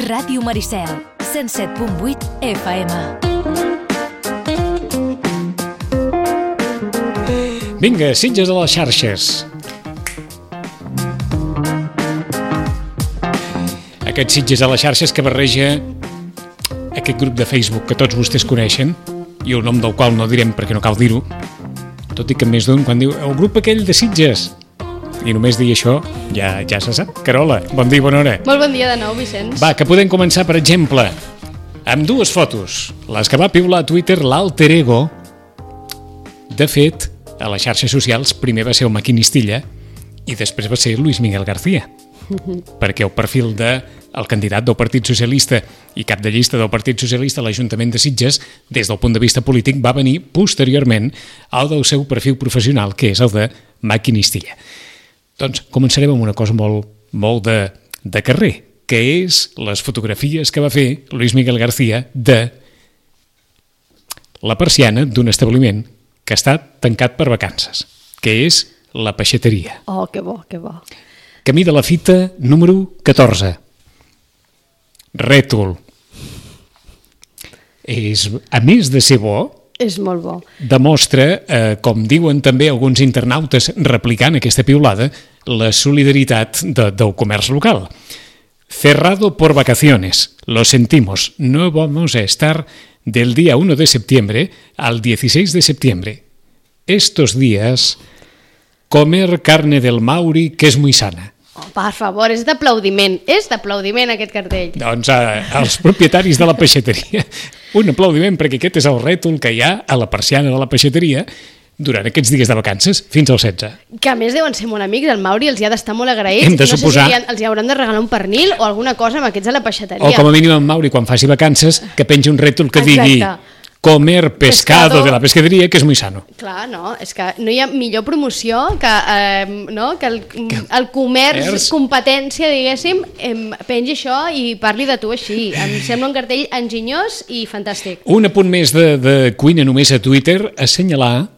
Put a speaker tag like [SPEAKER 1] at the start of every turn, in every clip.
[SPEAKER 1] Ràdio Maricel, 107.8 FM.
[SPEAKER 2] Vinga, Sitges a les xarxes. Aquest Sitges a les xarxes que barreja aquest grup de Facebook que tots vostès coneixen i el nom del qual no direm perquè no cal dir-ho, tot i que més d'un quan diu el grup aquell de Sitges i només dir això ja se sap. Carola, bon dia i bona hora.
[SPEAKER 3] Molt bon dia de nou, Vicenç.
[SPEAKER 2] Va, que podem començar, per exemple, amb dues fotos, les que va piular a Twitter l'alter ego. De fet, a les xarxes socials primer va ser el Maquinistilla i després va ser Luis Miguel García, perquè el perfil del candidat del Partit Socialista i cap de llista del Partit Socialista a l'Ajuntament de Sitges, des del punt de vista polític, va venir posteriorment al del seu perfil professional, que és el de Maquinistilla. Doncs començarem amb una cosa molt de carrer, que és les fotografies que va fer Luis Miguel García de la persiana d'un establiment que està tancat per vacances, que és la peixateria.
[SPEAKER 3] Oh, que bo, que bo.
[SPEAKER 2] Camí de la fita número 14. Rètol. A més de ser bo,
[SPEAKER 3] és molt bo.
[SPEAKER 2] Demostra, com diuen també alguns internautes replicant aquesta piulada, la solidaritat del comerç local. Cerrado por vacaciones. Lo sentimos. No vamos a estar del día 1 de septiembre al 16 de septiembre. Estos días, comer carne del Mauri, que es muy sana.
[SPEAKER 3] Oh, per favor, és d'aplaudiment aquest cartell.
[SPEAKER 2] Doncs als propietaris de la peixateria, un aplaudiment perquè aquest és el rètol que hi ha a la persiana de la peixateria durant aquests dies de vacances, fins al 16.
[SPEAKER 3] Que a més deuen ser molt amics, el Mauri els hi ha d'estar molt agraïts.
[SPEAKER 2] Hem de suposar.
[SPEAKER 3] No sé si els hi hauran de regalar un pernil o alguna cosa amb aquests de la peixateria.
[SPEAKER 2] O com a mínim en Mauri, quan faci vacances, que pengi un rètol que digui comer pescado de la pescaderia, que és muy sano.
[SPEAKER 3] Clar, no, és que no hi ha millor promoció que el comerç, competència, diguéssim, pengi això i parli de tu així. Em sembla un cartell enginyós i fantàstic.
[SPEAKER 2] Un apunt més de cuina només a Twitter, assenyalar,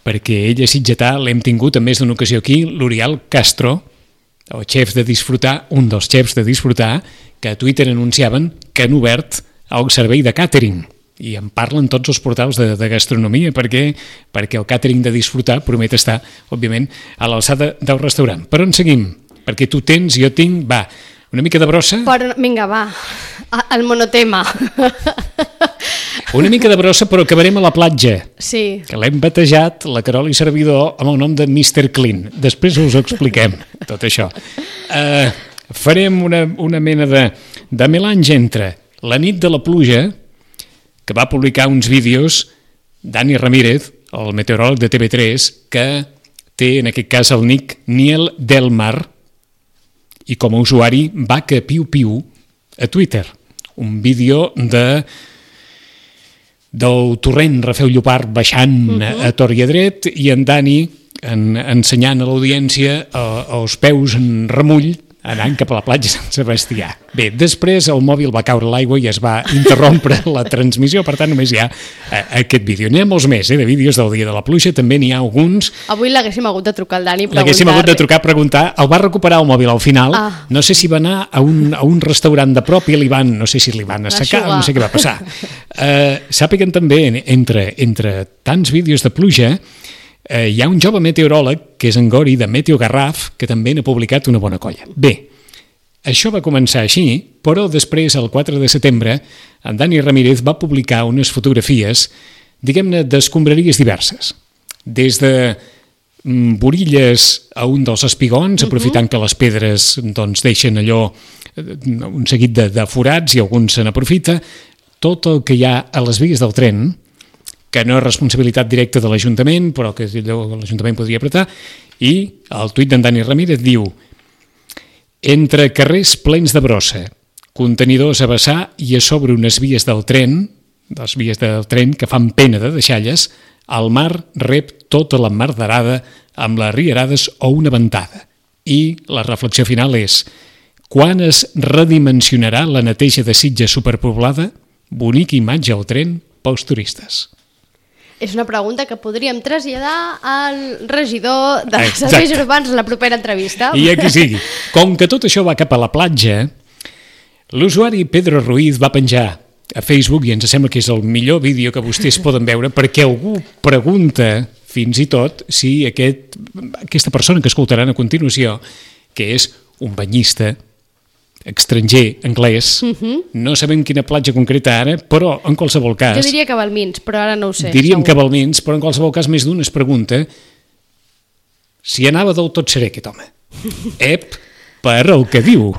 [SPEAKER 2] perquè ella sitgetà, l'hem tingut en més d'una ocasió aquí, l'Oriol Castro, el xef de Disfrutar, un dels xefs de Disfrutar, que a Twitter anunciaven que han obert el servei de càtering. I en parlen tots els portals de gastronomia perquè el càtering de Disfrutar promet estar, òbviament, a l'alçada del restaurant. Per on seguim? Perquè tu tens, jo tinc, va, una mica de brossa?
[SPEAKER 3] Vinga, va, el monotema.
[SPEAKER 2] Una mica de brossa, però acabarem a la platja.
[SPEAKER 3] Sí. Que
[SPEAKER 2] l'hem batejat, la Carola i servidor, amb el nom de Mr. Clean. Després us ho expliquem, tot això. Farem una mena de melange entre la nit de la pluja, que va publicar uns vídeos Dani Ramírez, el meteoròleg de TV3, que té en aquest cas el nick Niel del Mar, i com a usuari Vaca Piu Piu a Twitter. Un vídeo del torrent Rafeu Llopart baixant a tor i a dret i en Dani ensenyant a l'audiència els peus en remull anant cap a la platja Sant Sebastià. Bé, després el mòbil va caure a l'aigua i es va interrompre la transmissió, per tant només hi ha aquest vídeo. N'hi ha molts més, de vídeos del dia de la pluja, també n'hi ha alguns.
[SPEAKER 3] Avui l'haguéssim hagut de trucar al Dani i preguntar.
[SPEAKER 2] L'haguéssim hagut de trucar a preguntar. El va recuperar el mòbil al final, no sé si va anar a un restaurant de prop i no sé si li van assecar, no sé què va passar. Sàpiguen també, entre tants vídeos de pluja, hi ha un jove meteoròleg, que és en Gori, de Meteo Garraf, que també n'ha publicat una bona colla. Bé, això va començar així, però després, el 4 de setembre, en Dani Ramírez va publicar unes fotografies, diguem-ne, d'escombraries diverses. Des de borilles a un dels espigons, aprofitant que les pedres deixen allò, un seguit de forats i alguns se n'aprofita, tot el que hi ha a les vies del tren, que no és responsabilitat directa de l'Ajuntament, però que l'Ajuntament podria apretar, i el tuit d'en Dani Ramírez diu: entre carrers plens de brossa, contenidors a vessar i a sobre unes vies del tren, les vies del tren que fan pena de deixalles, el mar rep tota la mardarada amb les riarades o una ventada. I la reflexió final és: quan es redimensionarà la neteja de Sitges superpoblada? Bonica imatge al tren pels turistes.
[SPEAKER 3] És una pregunta que podríem traslladar al regidor de serveis urbans en la propera entrevista.
[SPEAKER 2] I aquí sigui. Com que tot això va cap a la platja, L'usuari Pedro Ruiz va penjar a Facebook, i ens sembla que és el millor vídeo que vostès poden veure, perquè algú pregunta fins i tot si aquesta persona que escoltaran a continuació, que és un banyista estranger, anglès, no sabem quina platja concreta ara, però en qualsevol cas...
[SPEAKER 3] Jo diria que Balmins, però ara no ho sé.
[SPEAKER 2] Diríem que Balmins, però en qualsevol cas més d'un es pregunta si anava del tot serè aquest home. Per el que diu.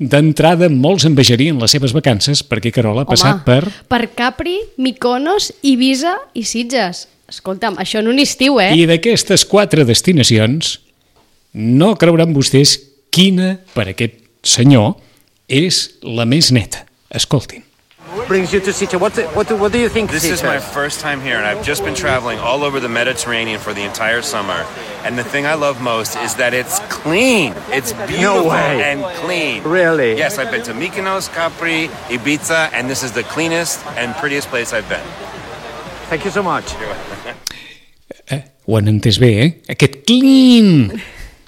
[SPEAKER 2] D'entrada, molts envejarien les seves vacances perquè Carola ha passat
[SPEAKER 3] per Capri, Mykonos, Ibiza i Sitges. Escolta'm, això en un estiu,
[SPEAKER 2] I d'aquestes 4 destinacions, no creuran vostès quina, per aquest senyor, és la més neta. Escoltin.
[SPEAKER 4] Brings you to Sitges. What do you think?
[SPEAKER 5] This is my first time here, and I've just been traveling all over the Mediterranean for the entire summer. And the thing I love most is that it's clean. It's beautiful and clean.
[SPEAKER 4] Really?
[SPEAKER 5] Yes, I've been to Mykonos, Capri, Ibiza, and this is the cleanest and prettiest place I've been.
[SPEAKER 4] Thank you so much.
[SPEAKER 2] Ho han entès bé, Aquest clean!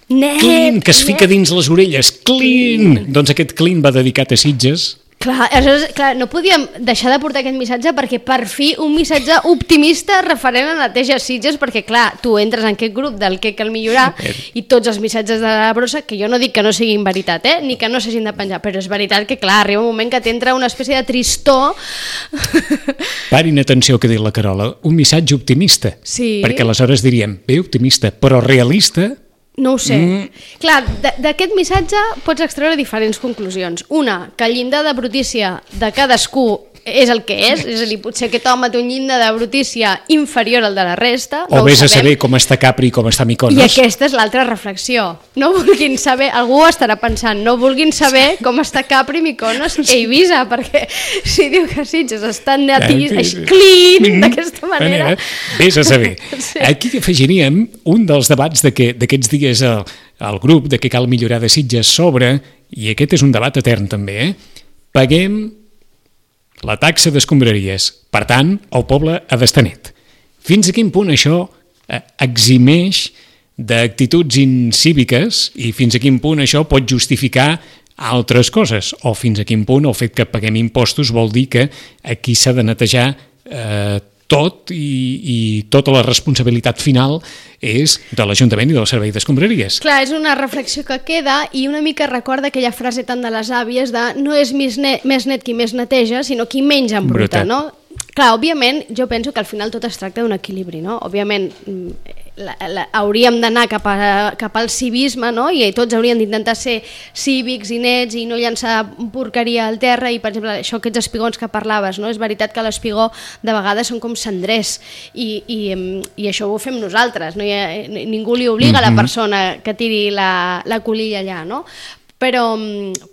[SPEAKER 2] Clean, que es fica dins les orelles. Clean! Doncs aquest clean va dedicat a Sitges.
[SPEAKER 3] Clar, no podíem deixar de portar aquest missatge perquè per fi un missatge optimista referent a neteja Sitges, perquè clar, tu entres en aquest grup del que cal millorar i tots els missatges de la brossa, que jo no dic que no siguin veritat, ni que no s'hagin de penjar, però és veritat que clar, arriba un moment que t'entra una espècie de tristor.
[SPEAKER 2] Parin atenció que ha dit la Carola, un missatge optimista, perquè aleshores diríem, bé, optimista, però realista...
[SPEAKER 3] No ho sé. Clar, d'aquest missatge pots extreure diferents conclusions. Una, que el llindar de brutícia de cadascú és el que és a dir, potser aquest home té un llindar de brutícia inferior al de la resta.
[SPEAKER 2] O vés a saber com està Capri i com està Mykonos.
[SPEAKER 3] I aquesta és l'altra reflexió. No vulguin saber, algú estarà pensant, no vulguin saber com està Capri, Mykonos i Ibiza, perquè si diu que Sitges està clean d'aquesta manera...
[SPEAKER 2] Vés a saber. Aquí afegiríem un dels debats d'aquests dies al grup de què cal millorar de Sitges sobre, i aquest és un debat etern també, paguem la taxa d'escombraries. Per tant, el poble ha d'estar net. Fins a quin punt això eximeix d'actituds incíviques i fins a quin punt això pot justificar altres coses? O fins a quin punt el fet que paguem impostos vol dir que aquí s'ha de netejar tot i tota la responsabilitat final és de l'Ajuntament i del Servei d'Escombraries.
[SPEAKER 3] Clar, és una reflexió que queda i una mica recorda aquella frase tan de les àvies de no és més net qui més neteja, sinó qui menys embruta, no? Clar, òbviament, jo penso que al final tot es tracta d'un equilibri, no? Òbviament, hauríem d'anar cap al civisme, no? I tots hauríem d'intentar ser cívics i nets i no llançar porqueria al terra i, per exemple, això, aquests espigons que parlaves, no? És veritat que l'espigó de vegades són com cendrers i això ho fem nosaltres, no? Ningú li obliga a la persona que tiri la colilla allà, no? Però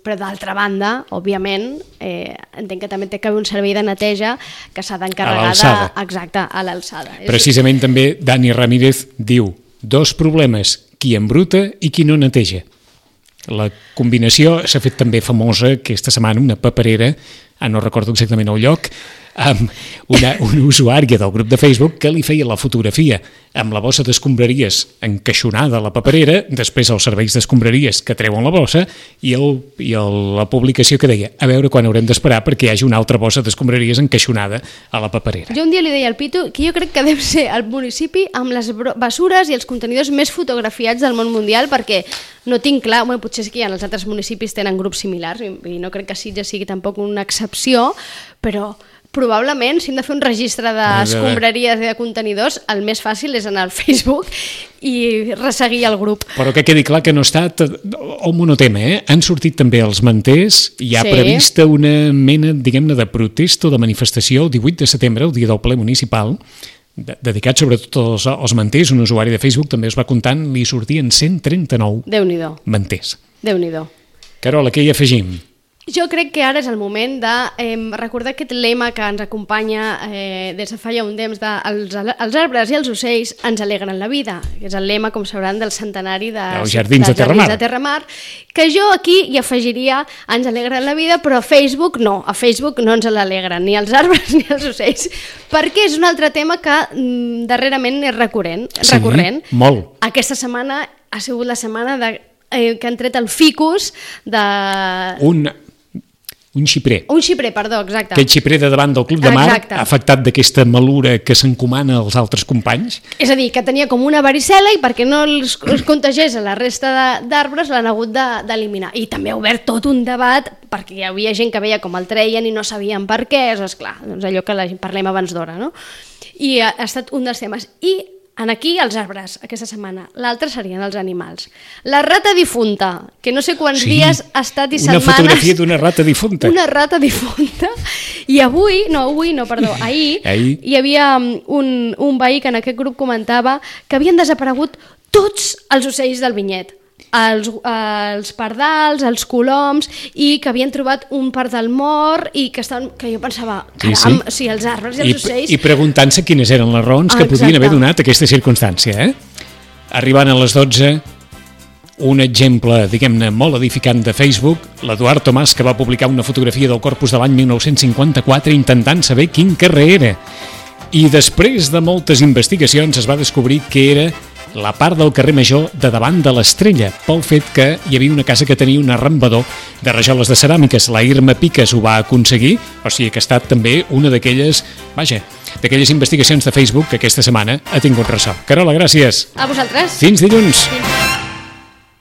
[SPEAKER 3] d'altra banda, òbviament, entenc que també té que haver un servei de neteja que s'ha d'encarregar exacte, a l'alçada.
[SPEAKER 2] Precisament també Dani Ramírez diu 2 problemes, qui embruta i qui no neteja. La combinació s'ha fet també famosa aquesta setmana, una paperera, no recordo exactament el lloc, amb una usuària del grup de Facebook que li feia la fotografia amb la bossa d'escombraries encaixonada a la paperera, després els serveis d'escombraries que treuen la bossa i la publicació que deia a veure quan haurem d'esperar perquè hi hagi una altra bossa d'escombraries encaixonada a la paperera.
[SPEAKER 3] Jo un dia li deia al Pitu que jo crec que deu ser el municipi amb les bessures i els contenidors més fotografiats del món mundial, perquè no tinc clar, bueno, potser sí que els altres municipis tenen grups similars i no crec que Sitges sigui tampoc una excepció, però probablement, si hem de fer un registre d'escombraries i de contenidors, el més fàcil és anar al Facebook i resseguir el grup.
[SPEAKER 2] Però que quedi clar que no ha estat el monotema, Han sortit també els manters, hi ha prevista una mena, diguem-ne, de protesta o de manifestació el 18 de setembre, el dia del ple municipal, dedicat sobretot als manters. Un usuari de Facebook també es va comptant, li sortien 139 manters.
[SPEAKER 3] Déu-n'hi-do.
[SPEAKER 2] Carola, què hi afegim?
[SPEAKER 3] Jo crec que ara és el moment de recordar aquest lema que ens acompanya des de fa ja un temps de els arbres i els ocells ens alegren la vida, que és el lema, com sabran, del centenari dels Jardins de Terramar, que jo aquí hi afegiria ens alegren la vida, però a Facebook no ens l'alegren ni els arbres ni els ocells, perquè és un altre tema que darrerament és recurrent.
[SPEAKER 2] Sí, molt.
[SPEAKER 3] Aquesta setmana ha sigut la setmana que han tret el ficus de...
[SPEAKER 2] Un xiprer.
[SPEAKER 3] Un xiprer, perdó, exacte.
[SPEAKER 2] Aquest xiprer de davant del Club de Mar, afectat d'aquesta malura que s'encomana als altres companys.
[SPEAKER 3] És a dir, que tenia com una varicel·la i perquè no els contagiés a la resta d'arbres l'han hagut d'eliminar. I també ha obert tot un debat perquè hi havia gent que veia com el treien i no sabien per què. És clar, doncs allò que parlem abans d'hora, no? I ha estat un dels temes. I aquí els arbres, aquesta setmana. L'altre serien els animals. La rata difunta, que no sé quants dies ha estat i setmanes...
[SPEAKER 2] Una fotografia d'una rata difunta.
[SPEAKER 3] Una rata difunta. I ahir hi havia un veí que en aquest grup comentava que havien desaparegut tots els ocells del vinyet. Els pardals, els coloms, i que havien trobat un pardal mort i que jo pensava, caram, sí, els arbres i els ocells...
[SPEAKER 2] I preguntant-se quines eren les raons que podien haver donat aquesta circumstància. Arribant a les 12, un exemple, diguem-ne, molt edificant de Facebook, l'Eduard Tomàs, que va publicar una fotografia del Corpus de l'any 1954 intentant saber quin carrer era. I després de moltes investigacions es va descobrir que era la part del carrer Major de davant de l'Estrella, pel fet que hi havia una casa que tenia un arrambador de rajoles de ceràmiques. La Irma Piques ho va aconseguir, o sigui que ha estat també una d'aquelles investigacions de Facebook que aquesta setmana ha tingut ressò. Carola, gràcies.
[SPEAKER 3] A vosaltres.
[SPEAKER 2] Fins dilluns.